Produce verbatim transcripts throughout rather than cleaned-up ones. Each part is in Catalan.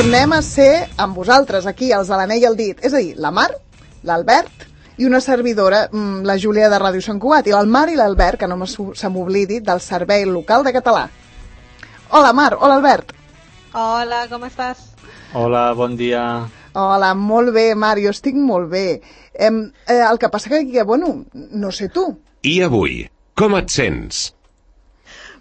tornem a ser amb vosaltres, aquí, els de l'anell al dit. És a dir, la Mar, l'Albert i una servidora, la Júlia de Ràdio Sant Cugat, i el Mar i l'Albert, que no se m'oblidi, del Servei Local de Català. Hola, Mar, hola, Albert. Hola, com estàs? Hola, bon dia. Hola, molt bé, Mar, jo estic molt bé. Eh, eh, el que passa que, que, bueno, no sé tu. I avui, com et sents?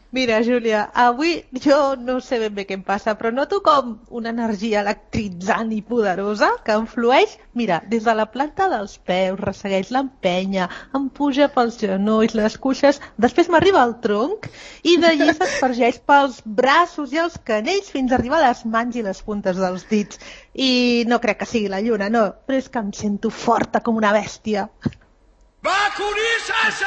Mira, Júlia, avui jo no sé ben bé què em passa, però noto com una energia electritzant i poderosa que em flueix, mira, des de la planta dels peus, ressegueix l'empenya, em puja pels genolls, les cuixes, després m'arriba al tronc i d'allí s'espargeix pels braços i els canells fins a arribar a les mans i les puntes dels dits. I no crec que sigui la lluna, no, però és que em sento forta com una bèstia. Vacunissa's!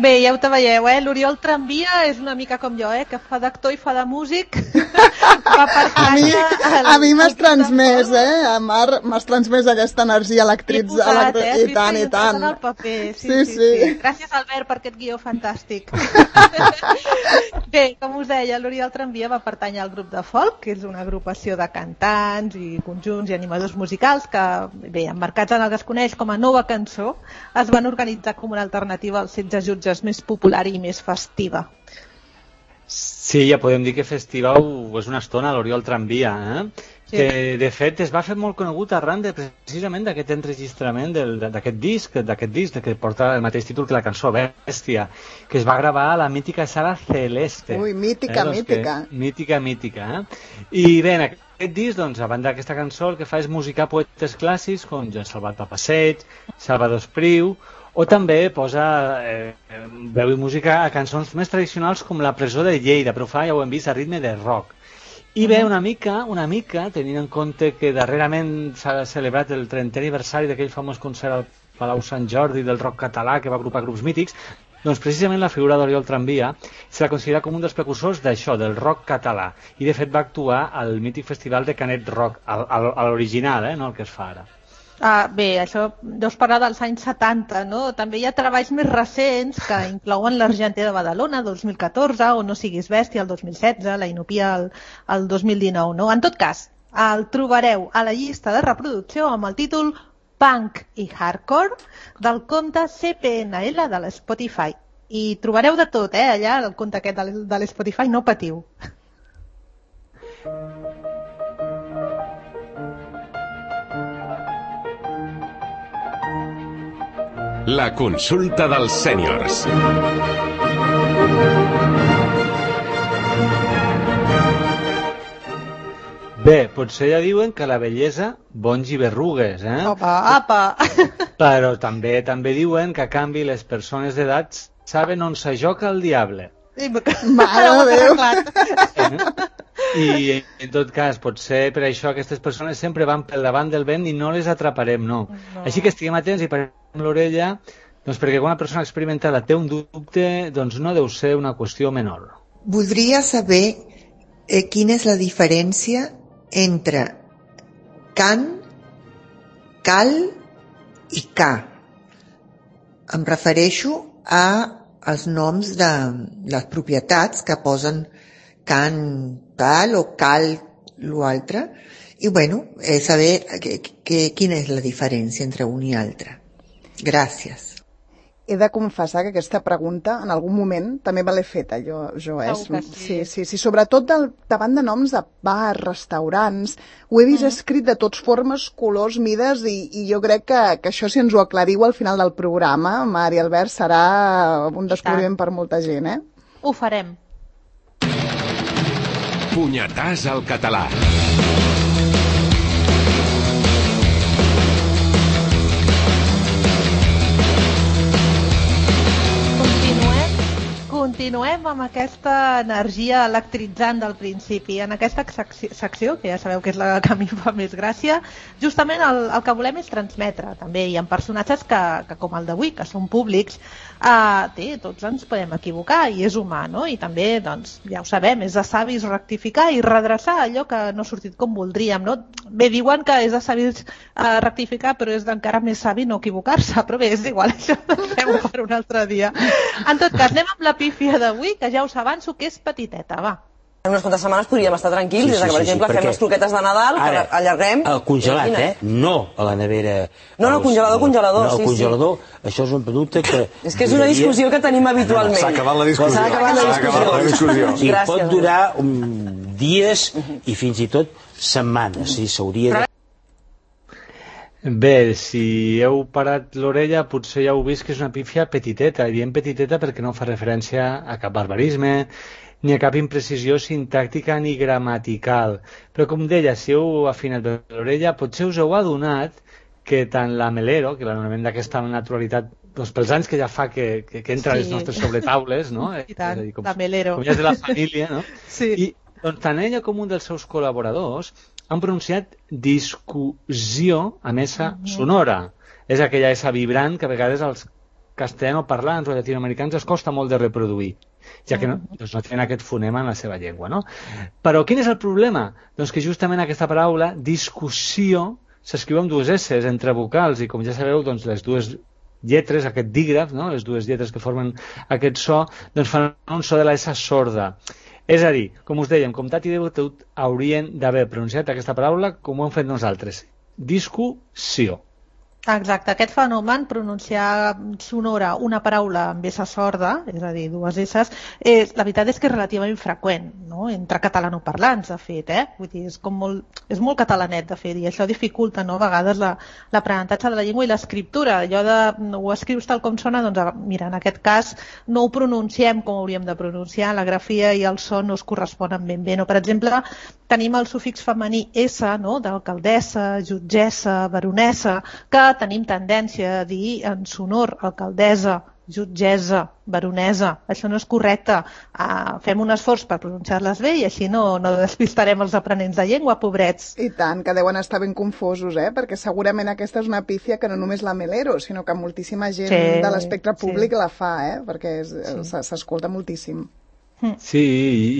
Bé, ja ho te veieu, eh? L'Oriol Tramvia és una mica com jo, eh? Que fa d'actor i fa de músic. Va per casa... A mi, el, a mi m'has transmès, eh? A Mar, m'has transmès aquesta energia electritzada. Eh? I tant, i tant. El paper. Sí, sí, sí, sí. sí. Gràcies, Albert, per aquest guió fantàstic. Bé, com us deia, l'Oriol Tramvia va pertànyer al grup de folk, que és una agrupació de cantants i conjunts i animadors musicals que, bé, emmarcats en el que es coneix com a Nova Cançó, es van organitzar com una alternativa als setze jutges més popular i més festiva. Sí, ja podem dir que festiva és una estona l'Oriol Tramvia, eh? Sí. Que de fet es va fer molt conegut arran de, precisament d'aquest enregistrament d'aquest disc, d'aquest disc que porta el mateix títol que la cançó Bèstia, que es va gravar a la mítica sala Celeste. Ui, mítica, eh? doncs mítica. Que, mítica, mítica. Eh? I bé, en aquest disc, doncs, a banda d'aquesta cançó, el que fa és musicar poetes clàssics com Joan Salvat Passeig, Salvador Espriu, o també posa eh, veu i música a cançons més tradicionals com La presó de Lleida, però fa, ja ho hem vist, a ritme de rock. I bé, una mica, una mica, tenint en compte que darrerament s'ha celebrat el trentè aniversari d'aquell famós concert al Palau Sant Jordi del rock català que va agrupar grups mítics, doncs precisament la figura d'Oriol Tramvia se la considera com un dels precursors d'això, del rock català. I de fet va actuar al mític festival de Canet Rock, a l'original, eh, no el que es fa ara. Ah, bé, això deus parlar dels anys setanta, no? També hi ha treballs més recents que inclouen l'Argenter de Badalona, dos mil catorze, o No siguis bèstia, el dos mil setze, la Inopia, el, el dos mil dinou, no? En tot cas, el trobareu a la llista de reproducció amb el títol Punk i Hardcore del compte C P N L de l'Spotify. I trobareu de tot, eh, allà, el compte aquest de l'Spotify, no patiu. La consulta dels sèniors. Bé, potser ja diuen que la bellesa bonys i berrugues, eh? Apa, apa! Però també també diuen que a canvi les persones d'edat saben on s'ajoca el diable. Mare de Déu! Eh? I en tot cas, potser per això aquestes persones sempre van pel davant del vent i no les atraparem, no. no. Així que estiguem atents i parem l'orella, doncs perquè quan una persona experimentada té un dubte, doncs no deu ser una qüestió menor. Voldria saber eh, quina és la diferència entre can, cal i ca. Em refereixo a els noms de les propietats que posen can tal o cal l'altre, i bueno, eh, saber que, que, quina és la diferència entre un i altre. Gràcies. He de confessar que aquesta pregunta en algun moment també me l'he feta jo, jo eh? Sí. Sí, sí, sí, sobretot del, davant de noms de bars, restaurants, ho he vist mm. escrit de tots formes, colors, mides, i, i jo crec que, que això, si ens ho aclariu al final del programa, Mar i Albert, serà un descobriment per molta gent, eh? Ho farem. Punyetàs al català. continuem amb aquesta energia electritzant del principi. En aquesta secció, que ja sabeu que és la que a mi fa més gràcia, justament el, el que volem és transmetre. També hi ha personatges que, que com el d'avui, que són públics, eh, té, tots ens podem equivocar i és humà, no? I també, doncs, ja ho sabem, és de savis rectificar i redreçar allò que no ha sortit com voldríem, no? Bé, diuen que és de savis eh, rectificar, però és d'encara més savi no equivocar-se, però bé, és igual, això ho fem per un altre dia. En tot cas, anem amb la pífia d'avui, que ja us avanço que és petiteta, va. En unes quantes setmanes podríem estar tranquils, sí, sí, des que, per exemple, sí, sí, fem les croquetes de Nadal, ara, que allarguem... El congelat, eh? No a la nevera... No, no, congelador, congelador, no, sí, el congelador, sí. Això és un producte que... És que és una discussió que tenim habitualment. S'ha acabat la discussió. S'ha acabat la discussió. La discussió. I pot durar um, dies i fins i tot setmanes, sí, s'hauria de... Bé, si heu parat l'orella, potser ja heu vist que és una pífia petiteta, i diem petiteta perquè no fa referència a cap barbarisme, ni a cap imprecisió sintàctica ni gramatical. Però, com deia, si heu afinat bé l'orella, potser us heu adonat que tant la Melero, que l'anomenen d'aquesta naturalitat, doncs pels anys que ja fa que, que, que entra a les nostres sobretaules, no? I tant, dir, com, la Melero. Com ja és de la família, no? Sí. I doncs, tant ella com un dels seus col·laboradors han pronunciat discussió amb essa sonora. És aquella essa vibrant que a vegades als castellanoparlants o llatinoamericans es costa molt de reproduir, ja que no, doncs no tenen aquest fonema en la seva llengua, no? Però quin és el problema? Doncs que justament aquesta paraula, discussió, s'escriu amb dues esses entre vocals i, com ja sabeu, doncs les dues lletres, aquest dígraf, no? Les dues lletres que formen aquest so, doncs fan un so de la essa sorda. És a dir, com us dèiem, comtat i debatut haurien d'haver pronunciat aquesta paraula com ho hem fet nosaltres. Discussió. Exacte, aquest fenomen, pronunciar sonora una paraula amb essa sorda, és a dir, dues esses, eh, la veritat és que és relativament freqüent, no? Entre catalanoparlants, de fet, eh? Vull dir, és, com molt, és molt catalanet, de fet, i això dificulta, no?, a vegades l'aprenentatge de la llengua i l'escriptura. Allò de ho escrius tal com sona, doncs, mira, en aquest cas no ho pronunciem com hauríem de pronunciar, la grafia i el son no es corresponen ben bé, no? Per exemple, tenim el sufix femení S, no?, d'alcaldessa, jutgessa, baronessa, que tenim tendència a dir en sonor alcaldessa, jutgessa, baronesa. Això no és correcte. Uh, fem un esforç per pronunciar-les bé i així no, no despistarem els aprenents de llengua, pobrets. I tant, que deuen estar ben confosos, eh? Perquè segurament aquesta és una pífia que no només la Melero, sinó que moltíssima gent sí, de l'espectre públic sí. la fa, eh? Perquè s'escolta sí. moltíssim. Sí,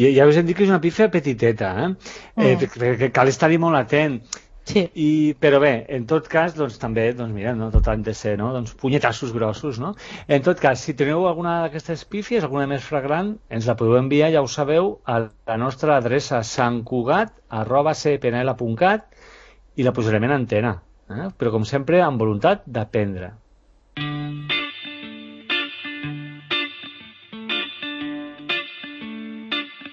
i ja us hem dit que és una pífia petiteta, eh? Mm. eh que cal estar-hi molt atent. Sí. I, però bé, en tot cas, doncs també, doncs mira, no, tot han de ser, no? Doncs punyetassos grossos, no? En tot cas, si teniu alguna d'aquestes pífies, alguna més flagrant, ens la podeu enviar, ja ho sabeu, a la nostra adreça santcugat arroba c p n l punt cat i la posarem en antena, eh? Però com sempre amb voluntat d'aprendre.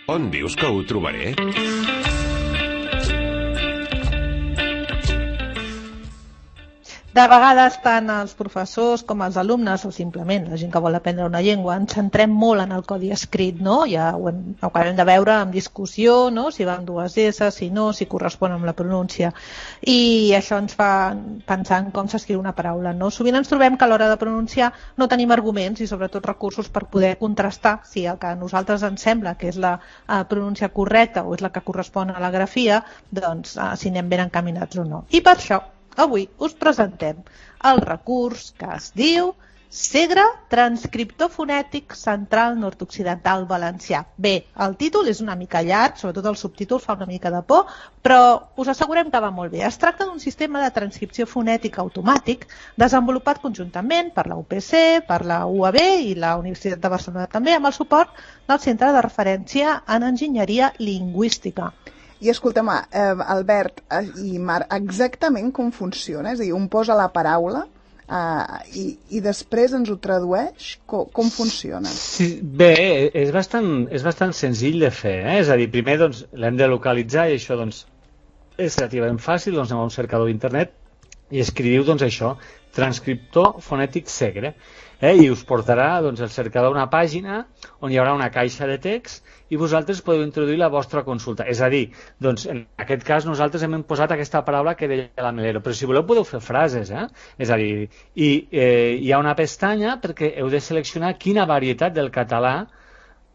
On dius que ho trobaré? De vegades tant els professors com els alumnes o simplement la gent que vol aprendre una llengua ens centrem molt en el codi escrit, no? Ja ho, hem, ho acabem de veure en discussió, no? Si van dues S, si no, si correspon amb la pronúncia. I això ens fa pensar en com s'escriu una paraula, no? Sovint ens trobem que a l'hora de pronunciar no tenim arguments i sobretot recursos per poder contrastar si el que a nosaltres ens sembla que és la uh, pronúncia correcta o és la que correspon a la grafia, doncs uh, si anem ben encaminats o no. I per això avui us presentem el recurs que es diu Segre Transcriptor Fonètic Central Nord-Occidental Valencià. Bé, el títol és una mica llarg, sobretot el subtítol fa una mica de por, però us assegurem que va molt bé. Es tracta d'un sistema de transcripció fonètica automàtic desenvolupat conjuntament per la U P C, per la U A B i la Universitat de Barcelona també, amb el suport del Centre de Referència en Enginyeria Lingüística. I escolta'm, eh, Albert eh, i Marc, exactament com funciona? És a dir, un posa la paraula eh, i, i després ens ho tradueix? Com, com funciona? Sí, bé, és bastant, és bastant senzill de fer, eh? És a dir, primer doncs, l'hem de localitzar i això doncs, és relativament fàcil, doncs anem a un cercador d'internet i escriviu doncs, això, transcriptor fonètic Segre. Eh? I us portarà doncs, el cercador a una pàgina on hi haurà una caixa de text i vosaltres podeu introduir la vostra consulta. És a dir, doncs, en aquest cas nosaltres hem posat aquesta paraula que deia la Melero, però si voleu podeu fer frases. Eh? És a dir, i, eh, hi ha una pestanya perquè heu de seleccionar quina varietat del català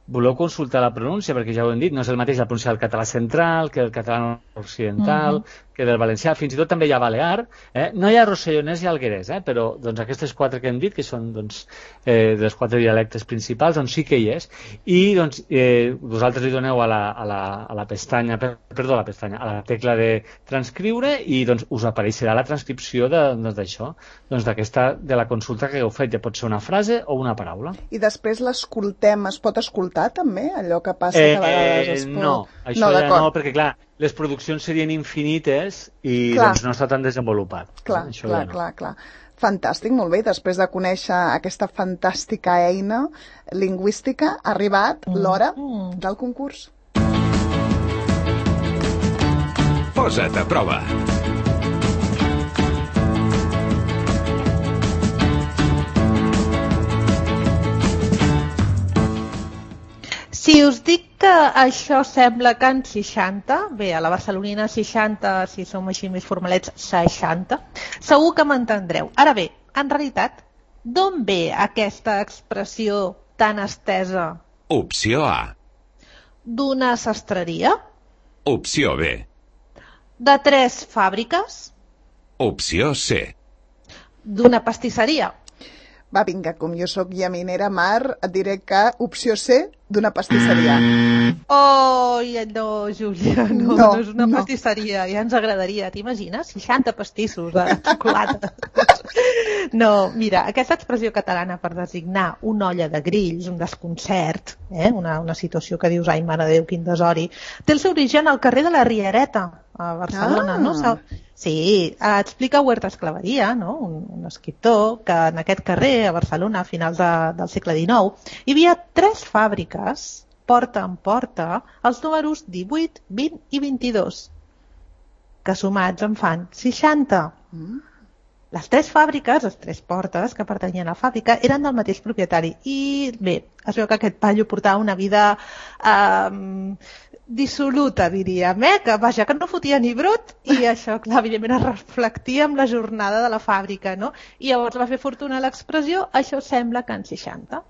voleu consultar la pronúncia, perquè ja ho hem dit, no és el mateix la pronúncia del català central que el català occidental, uh-huh. que del valencià, fins i tot també hi ha balear, eh? No hi ha rossellonès i alguerès, eh? Però doncs, aquestes quatre que hem dit, que són doncs, eh, dels quatre dialectes principals, doncs sí que hi és. I doncs, eh, vosaltres li doneu a la, a la, a la pestanya, per, perdó, a la pestanya, a la tecla de transcriure i doncs, us apareixerà la transcripció d'això, doncs, d'aquesta, de la consulta que heu fet, ja pot ser una frase o una paraula. I després l'escoltem, es pot escoltar també, allò que passa que a vegades es pot... Eh, no, això no, ja no, perquè clar, les produccions serien infinites i clar. Doncs no està tan desenvolupat. Clar, això clar, ja no. clar, clar. Fantàstic, molt bé. Després de conèixer aquesta fantàstica eina lingüística, ha arribat mm. l'hora del concurs. Posa't a prova. Si us dic que això sembla Can seixanta, bé, a la barcelonina seixanta, si som així més formalets, seixanta, segur que m'entendreu. Ara bé, en realitat, d'on ve aquesta expressió tan estesa? Opció A. D'una sastreria? Opció B. De tres fàbriques? Opció C. D'una pastisseria? Va, vinga, com jo sóc llaminera, Mar, et diré que opció C, d'una pastisseria. Oh, no, Júlia, no, no, no és una no. pastisseria, ja ens agradaria, t'imagines? seixanta pastissos de xocolata. No, mira, aquesta expressió catalana per designar una olla de grills, un desconcert, eh? una, una situació que dius, ai, mare de Déu, quin desori, té el seu origen al carrer de la Riereta, a Barcelona, ah. no? Sí, explica Huerta Esclaveria, no? un, un escriptor que en aquest carrer, a Barcelona, a finals de, del segle dinou, hi havia tres fàbriques, porta en porta, els números divuit, vint i vint-i-dos, que sumats en fan seixanta. Mm. Les tres fàbriques, les tres portes que pertanyien a la fàbrica, eren del mateix propietari. I bé, es veu que aquest paio portava una vida eh, dissoluta, diríem, eh? que vaja, que no fotia ni brut, i això, clar, evidentment es reflectia amb la jornada de la fàbrica, no? I llavors va fer fortuna l'expressió, això sembla Can seixanta.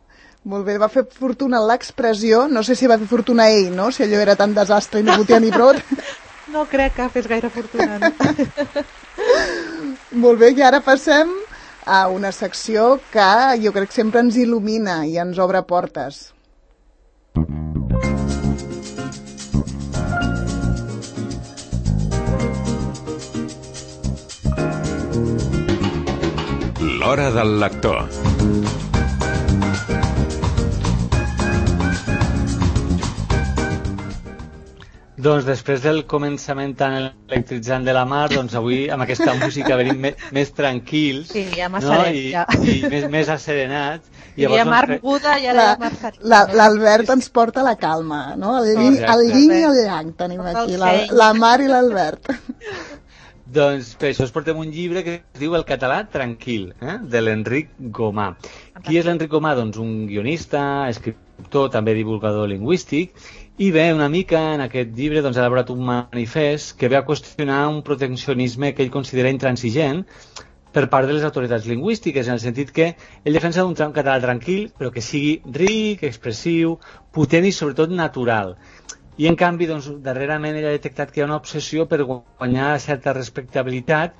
Molt bé, va fer fortuna l'expressió, no sé si va fer fortuna ell, no? Si allò era tan desastre i no fotia ni brut. No crec que fes gaire fortuna, no? Molt bé, i ara passem a una secció que jo crec que sempre ens il·lumina i ens obre portes. L'hora del lector. Doncs després del començament tan electritzant de la Mar, doncs avui amb aquesta música venim més, més tranquils, sí, ja no? I, ja. i més, més asserenats. I hi ha Mar Buda i ara hi ha Mar Serena. L'Albert ens porta la calma, no? El yin, el yin i el yang tenim aquí, la, la Mar i l'Albert. Doncs per això us portem un llibre que es diu El català tranquil, eh? de l'Enric Gomà. Qui és l'Enric Gomà? Doncs un guionista, escriptor, també divulgador lingüístic, i bé, una mica en aquest llibre doncs, ha elaborat un manifest que ve a qüestionar un proteccionisme que ell considera intransigent per part de les autoritats lingüístiques, en el sentit que ell defensa un català tranquil, però que sigui ric, expressiu, potent i sobretot natural. I en canvi, doncs, darrerament ell ha detectat que hi ha una obsessió per guanyar certa respectabilitat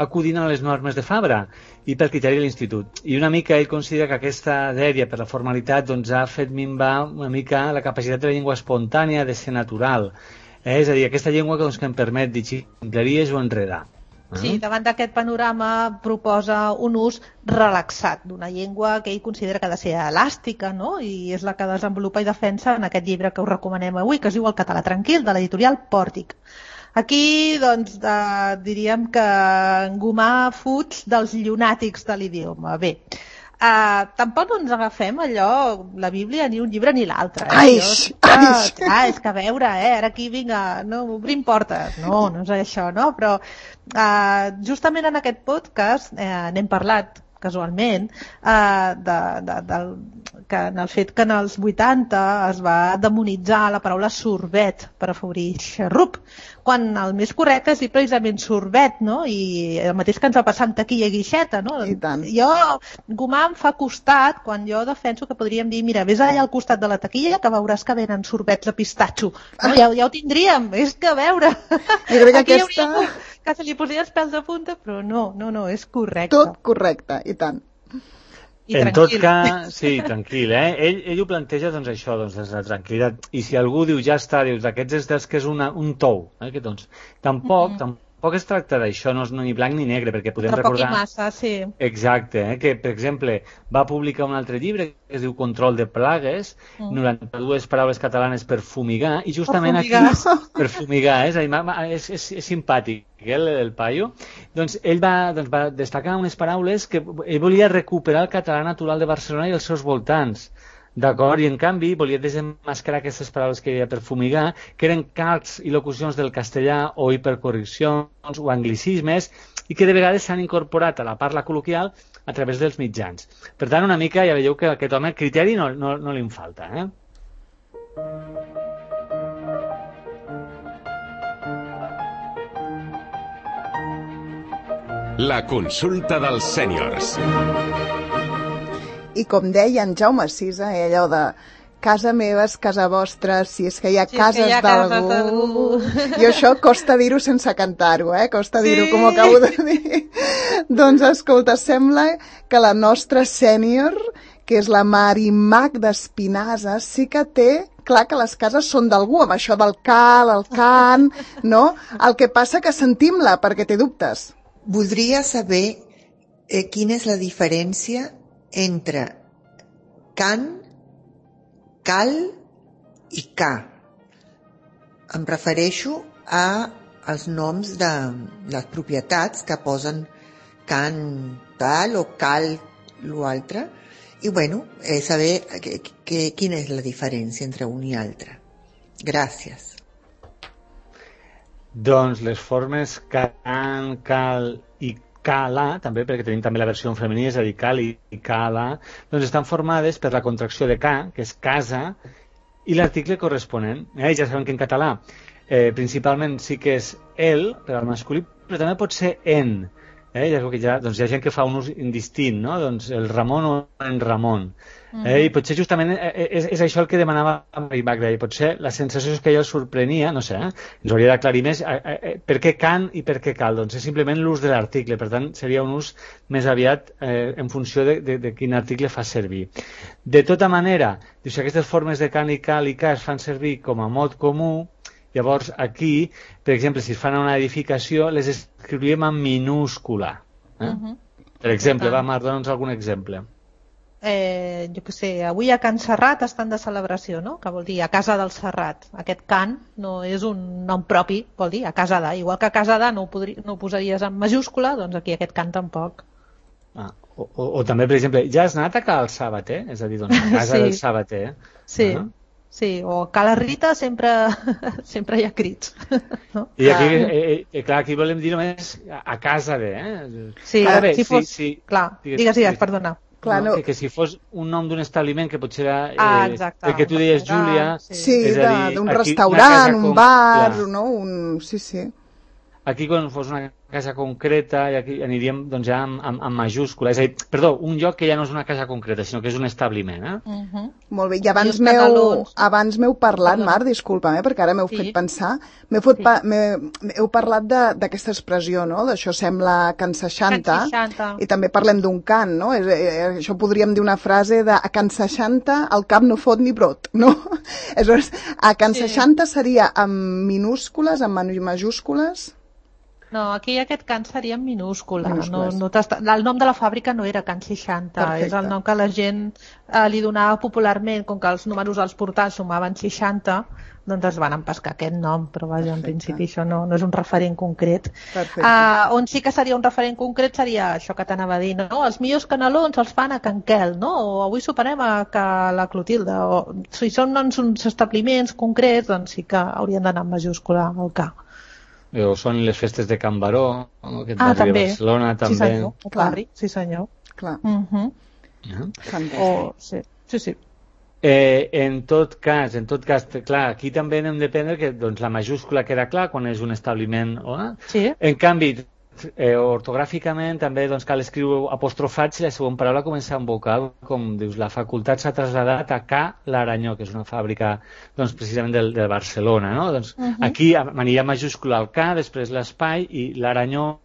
acudint a les normes de Fabra i pel criteri de l'institut. I una mica ell considera que aquesta dèria per la formalitat doncs, ha fet minvar una mica la capacitat de la llengua espontània de ser natural. Eh? És a dir, aquesta llengua doncs, que em permet dir ximpleries o enredar. Sí, davant d'aquest panorama proposa un ús relaxat d'una llengua que ell considera que ha de ser elàstica, no? I és la que desenvolupa i defensa en aquest llibre que us recomanem avui, que es diu El català tranquil, de l'editorial Pòrtic. Aquí, doncs, eh, diríem que en Gomà fuig dels llunàtics de l'idioma. Bé, eh, tampoc no ens agafem allò, la Bíblia, ni un llibre ni l'altre. Eh? Aix, aix. Ah, és que a veure, eh, ara aquí, vinga, no, obrim portes. No, no és això, no? Però eh, justament en aquest podcast eh, n'hem parlat casualment, eh, de, de, del, que en el fet que en els vuitanta es va demonitzar la paraula sorbet per afavorir xarrup, quan el més correcte és dir precisament sorbet, no? I el mateix que ens va passar amb taquilla i guixeta, no? I tant. Jo, Gomà em fa costat quan jo defenso que podríem dir, mira, vés allà al costat de la taquilla que veuràs que venen sorbets de pistatxo. No? Ja, ja ho tindríem, és que a veure. Jo crec que Aquí aquesta... hauria que se li posés els pèls de punta, però no, no, no, és correcte. Tot correcte, i tant. I en tranquil. tot cas, sí, tranquil, eh? Ell, ell ho planteja, doncs, això, doncs, des de la tranquil·litat. I si algú diu, ja està, dius, d'aquests és dels que és una, un tou, eh? Que, doncs, tampoc, mm -hmm. tampoc es tracta d'això, no és ni blanc ni negre, perquè podem Però poc recordar... i massa, sí. Exacte, eh? Que, per exemple, va publicar un altre llibre que es diu Control de plagues, mm. noranta-dues paraules catalanes per fumigar, i justament per fumigar. aquí... Per fumigar, és, és, és, és simpàtic, el, el paio. Doncs ell va, doncs, va destacar unes paraules que ell volia recuperar el català natural de Barcelona i els seus voltants. D'acord? I en canvi volia desenmascarar aquestes paraules que hi havia per fumigar, que eren calcs i locucions del castellà o hipercorreccions o anglicismes, i que de vegades s'han incorporat a la parla col·loquial a través dels mitjans. Per tant, una mica ja veieu que aquest home criteri no, no, no li en falta, eh? La consulta dels sèniors. I com deia en Jaume Sisa, eh, allò de casa meva és casa vostra, si és que hi ha Si és cases que hi ha d'algú... cases I això costa dir-ho sense cantar-ho, eh? Costa Sí. dir-ho com ho acabo de dir. Doncs escolta, sembla que la nostra sènior, que és la Marimac d'Espinasa, sí que té clar que les cases són d'algú, amb això del cal, el can, no? El que passa que sentim-la, perquè té dubtes. Voldria saber eh, quina és la diferència entre can, cal i ca. Em refereixo a els noms de les propietats que posen can tal o cal l'altre. I bueno, eh, saber que, que, quina és la diferència entre un i altre. Gràcies. Doncs les formes can, cal i cala, també, perquè tenim també la versió en femení, és a dir, cal i cala, doncs estan formades per la contracció de ca, que és casa, i l'article corresponent. Eh? Ja sabem que en català eh, principalment sí que és el, per al masculí, però també pot ser en. Eh? Ja, que ja, doncs hi ha gent que fa un ús indistint, no? Doncs el Ramon o en Ramon. Eh? I potser justament és, és això el que demanava Marimac, i potser la sensació és que ell el sorprenia, no sé, eh? ens hauria d'aclarir més eh, eh, per què can i per què cal, doncs és simplement l'ús de l'article, per tant seria un ús més aviat eh, en funció de, de, de quin article fa servir. De tota manera, si aquestes formes de can i cal i ca es fan servir com a mot comú, llavors aquí, per exemple, si es fan a una edificació, les escriuríem en minúscula. Eh? Uh -huh. Per exemple, va, Mar, dona'ns algun exemple. Eh, jo què sé, avui a Can Serrat estan de celebració, no? Que vol dir a casa del Serrat. Aquest Can no és un nom propi, vol dir a casa de. Igual que a casa de no ho, podri, no ho posaries en majúscula, doncs aquí aquest Can tampoc. Ah, o, o, o també, per exemple, ja has anat a Cal Sabater? És a dir, doncs a casa Sí. del Sabater. Sí. Ah. Sí, o a la Rita sempre, sempre hi ha crits. No? I aquí, eh, eh, clar, aquí volem dir només a, a casa de, eh? Sí, Ara bé, si fos... sí, sí. Clar, Digues, digues, digues, digues. perdona. Clar, no, no. que, que si fos un nom d'un establiment que potser era eh, Ah, exacte. el que tu deies, Júlia, Sí, és a dir, d'un aquí restaurant, una casa un com- bar, clar. no? Un... Sí, sí. Aquí quan fos una casa concreta i aquí aniríem doncs, ja amb, amb, amb majúscula, és a dir, perdó, un lloc que ja no és una casa concreta, sinó que és un establiment, eh? Uh -huh. Molt bé, i abans I els m'heu canelons. abans m'heu parlat, Perdó. Mar, disculpa'm, eh, perquè ara m'heu Sí. fet pensar, m'heu fet Sí. pa, m'heu parlat de- d'aquesta expressió, no?, d'això sembla Can seixanta, Can seixanta. i també parlem d'un cant, no?, és, eh, això podríem dir una frase de a Can seixanta el cap no fot ni brot, no? Aleshores, a Can Sí. seixanta seria amb minúscules, amb majúscules? No, aquí aquest Can seria en minúscula. No, Minúscules. no t'està- el nom de la fàbrica no era Can seixanta, Perfecte. és el nom que la gent eh, li donava popularment, com que els números als portals sumaven seixanta, doncs es van empescar aquest nom, però vaja, en Perfecte. principi això no, no és un referent concret. Perfecte. Uh, on sí que seria un referent concret seria això que t'anava a dir, no? Els millors canelons els fan a Can Quel, no? O avui soparem a Ca la Clotilde, o si són doncs, uns establiments concrets, doncs sí que haurien d'anar en majúscula al K. O són les festes de Can Baró, no? Aquest Ah, barri també. de Barcelona, també. Sí, senyor. El Clar. barri, sí, senyor. Clar, Uh -huh. Eh? fantàstic. O, sí, sí, sí. Eh, en tot cas, en tot cas, clar, aquí també hem de prendre que doncs, la majúscula queda clar quan és un establiment. Eh? Sí. En canvi, eh, ortogràficament també doncs, cal escriure apostrofat si la següent paraula comença amb vocal, com dius, la facultat s'ha traslladat a Ca l'Aranyó, que és una fàbrica doncs, precisament de, de Barcelona. No? Doncs, uh-huh. Aquí aniria majúscula al Ca, després l'espai i l'Aranyó,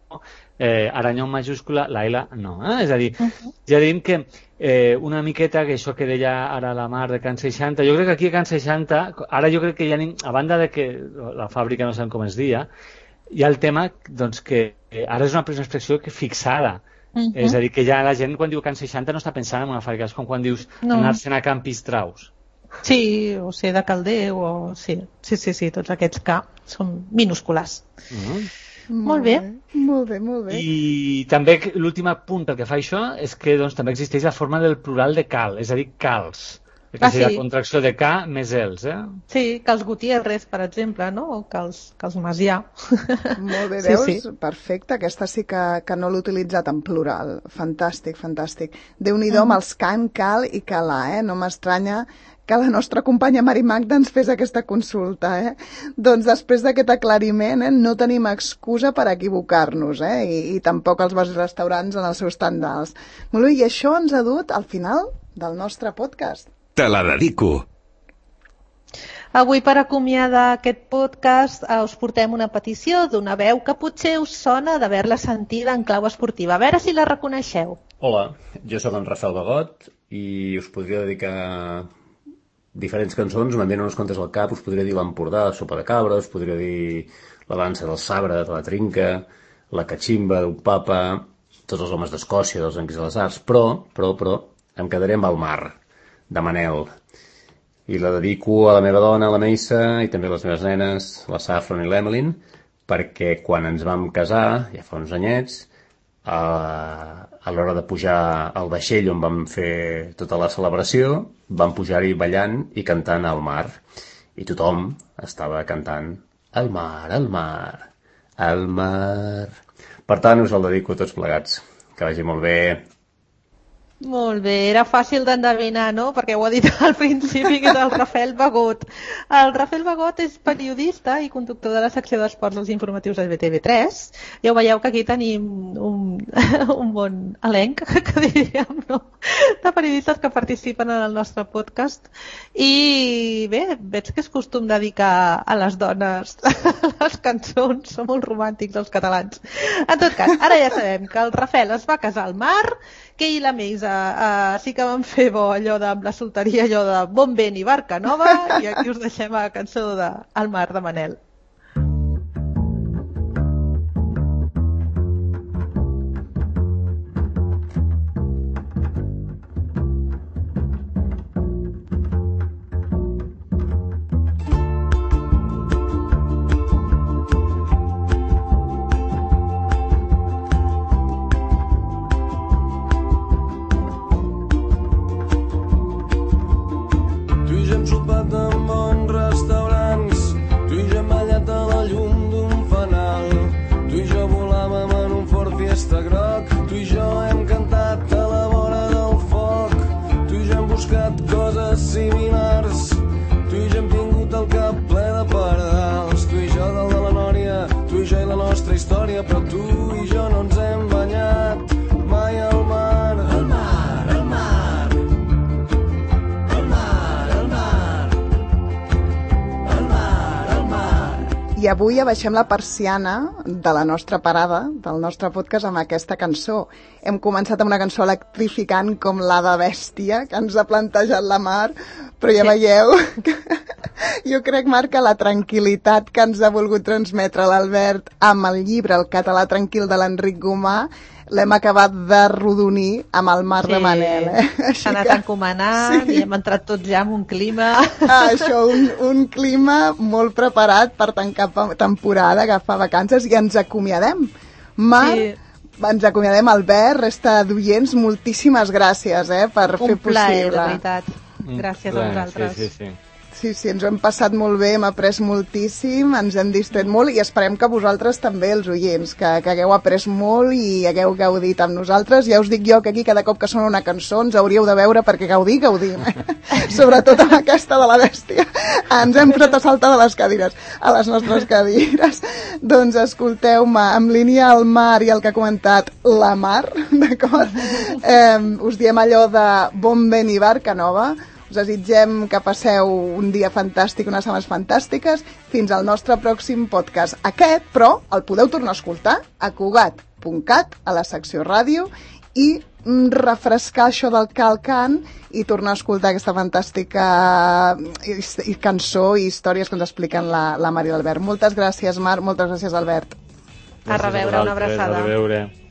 eh, Aranyó en majúscula, la L no. Eh? És a dir, uh-huh. ja diem que eh, una miqueta, que això que deia ara la Mar de Can seixanta, jo crec que aquí a Can seixanta, ara jo crec que ja, a banda de que la fàbrica no sabem com es dia, hi ha el tema doncs, que ara és una expressió que fixada. Uh-huh. És a dir, que ja la gent quan diu Can seixanta no està pensant en una fàbrica, és com quan dius no. anar-se'n a Can Pistraus. Sí, o ser de Caldeu, o... Sí, sí, sí, sí, tots aquests K són minúscules. Uh-huh. Molt bé. Molt bé, molt bé. I també l'últim punt pel que fa a això és que doncs, també existeix la forma del plural de cal, és a dir, cals. Que ah, seria sí. la contracció de K més els, eh? Sí, Cals Gutiérrez, per exemple, no? O Cals, Cals Macià. Molt bé, veus? Sí, sí. Perfecte, aquesta sí que, que no l'he utilitzat en plural. Fantàstic, fantàstic. Déu-n'hi-do amb els can, cal i calà, eh? No m'estranya que la nostra companya Mari Magda ens fes aquesta consulta, eh? Doncs després d'aquest aclariment, eh, no tenim excusa per equivocar-nos, eh? I, i tampoc els bars i restaurants en els seus tendals. Molt bé, i això ens ha dut al final del nostre podcast. Te la dedico. Avui, per acomiadar aquest podcast, us portem una petició d'una veu que potser us sona d'haver-la sentida en clau esportiva. A veure si la reconeixeu. Hola, jo sóc en Rafael Bagot i us podria dedicar diferents cançons, me'n venen unes quantes al cap, us podria dir l'Empordà, Sopa de Cabra, us podria dir la dansa del sabre, de la trinca, la catximba d'un papa, tots els homes d'Escòcia, dels Anquis de les Arts, però, però, però, em quedaré amb el mar, de Manel. I la dedico a la meva dona, la Meissa, i també a les meves nenes, la Safron i l'Emeline, perquè quan ens vam casar, ja fa uns anyets, a, a l'hora de pujar al vaixell on vam fer tota la celebració, vam pujar-hi ballant i cantant al mar. I tothom estava cantant al mar, al mar, al mar. Per tant, us el dedico a tots plegats. Que vagi molt bé. Molt bé, era fàcil d'endevinar, no? Perquè ho ha dit al principi, que és el Rafael Bagot. El Rafael Bagot és periodista i conductor de la secció d'esports dels informatius de B T V tres. Ja ho veieu que aquí tenim un, un bon elenc, que diríem, no? De periodistes que participen en el nostre podcast. I bé, veig que és costum dedicar a les dones les cançons, són molt romàntics els catalans. En tot cas, ara ja sabem que el Rafael es va casar al mar, que ell i la Meisa uh, sí que van fer bo allò de la solteria, allò de bon vent i barca nova, i aquí us deixem a la cançó de Al mar de Manel. Però tu i jo no ens hem banyat mai al mar. Al mar, al mar, al mar, al mar, al mar, al mar. I avui abaixem la persiana de la nostra parada, del nostre podcast, amb aquesta cançó. Hem començat amb una cançó electrificant com la de Bèstia, que ens ha plantejat la Mar, però ja sí. Veieu que jo crec, Marc, que la tranquil·litat que ens ha volgut transmetre l'Albert amb el llibre El català tranquil de l'Enric Gomà l'hem acabat de rodonir amb el mar sí. de Manel. Eh? S'ha anat que... encomanant sí. I hem entrat tots ja en un clima... Ah, això, un, un clima molt preparat per tancar temporada, agafar vacances, i ens acomiadem. Mar, sí. Ens acomiadem, Albert, resta d'oients, moltíssimes gràcies eh, per un fer plaer, possible. De veritat. Gràcies a vosaltres. Sí, sí, sí. Sí, sí, ens ho hem passat molt bé, hem après moltíssim, ens hem distret molt i esperem que vosaltres també, els oients, que, que hagueu après molt i hagueu gaudit amb nosaltres. Ja us dic jo que aquí cada cop que sona una cançó ens hauríeu de veure perquè gaudir, gaudim. Eh? Sobretot amb aquesta de la bèstia. Ens hem posat a saltar de les cadires, a les nostres cadires. Doncs escolteu-me, en línia al Mar i el que ha comentat la Mar, d'acord? Eh, us diem allò de bon vent i barca nova. Us desitgem que passeu un dia fantàstic, unes setmanes fantàstiques, fins al nostre pròxim podcast. Aquest, però, el podeu tornar a escoltar a cugat punt cat, a la secció ràdio, i refrescar això del Calcan i tornar a escoltar aquesta fantàstica cançó i històries que ens expliquen la, la Mar i l'Albert. Moltes gràcies, Mar, moltes gràcies, Albert. A reveure, una abraçada. A reveure.